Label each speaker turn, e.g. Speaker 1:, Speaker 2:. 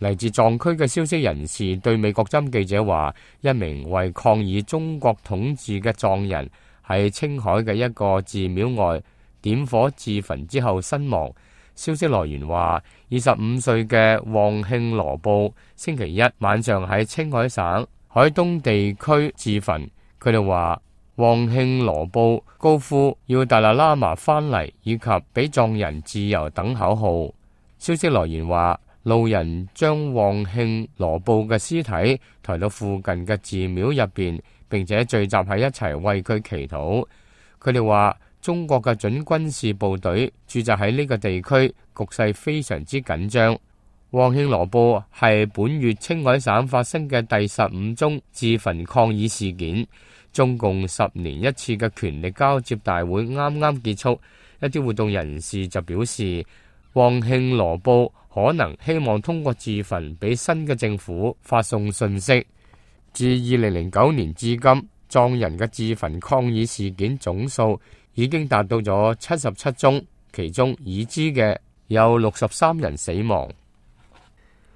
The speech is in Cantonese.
Speaker 1: 嚟自藏區嘅消息人士對美國針記者話，一名為抗議中國統治嘅藏人喺青海嘅一個寺廟外點火自焚之後身亡。消息來源話，25歲嘅旺慶羅布星期一晚上喺青海省海東地區自焚。佢哋話，旺慶羅布高呼要達賴喇嘛翻嚟以及俾藏人自由等口號。消息來源話，路人將旺慶羅布嘅屍體抬到附近嘅寺廟入邊，並且聚集喺一齊為佢祈禱。佢哋話，中國嘅準軍事部隊駐紮喺呢個地區，局勢非常之緊張。旺慶羅布係本月青海省發生嘅第15宗自焚抗議事件。中共10年一次嘅權力交接大會啱啱結束，一啲活動人士就表示，旺慶羅布可能希望通過自焚俾新嘅政府發送信息。自2009年至今，藏人嘅自焚抗議事件總數已經達到咗77宗，其中已知嘅有63人死亡。